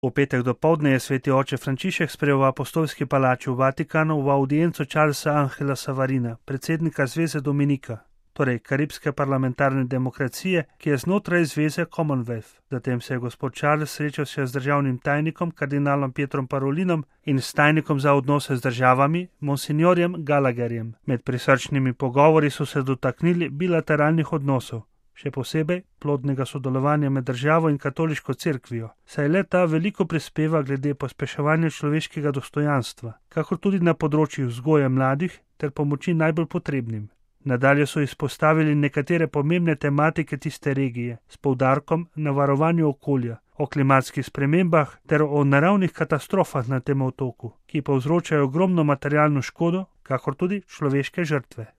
V petek dopoldne je sveti oče Frančišek sprejel v apostolski palači v Vatikanu v audienco Charlesa Angela Savarina, predsednika Zveze Dominika, torej Karibske parlamentarne demokracije, ki je znotraj zveze Commonwealth. Zatem se je gospod Charles srečal še z državnim tajnikom, kardinalom Pietrom Parolinom in s tajnikom za odnose z državami, monsignorjem Gallagherjem. Med prisrčnimi pogovori so se dotaknili bilateralnih odnosov, še posebej plodnega sodelovanja med državo in katoliško cerkvijo, saj le ta veliko prispeva glede pospeševanja človeškega dostojanstva, kakor tudi na področju vzgoje mladih ter pomoči najbolj potrebnim. Nadalje so izpostavili nekatere pomembne tematike tiste regije, s poudarkom na varovanju okolja, o klimatskih spremembah ter o naravnih katastrofah na tem otoku, ki povzročajo ogromno materialno škodo, kakor tudi človeške žrtve.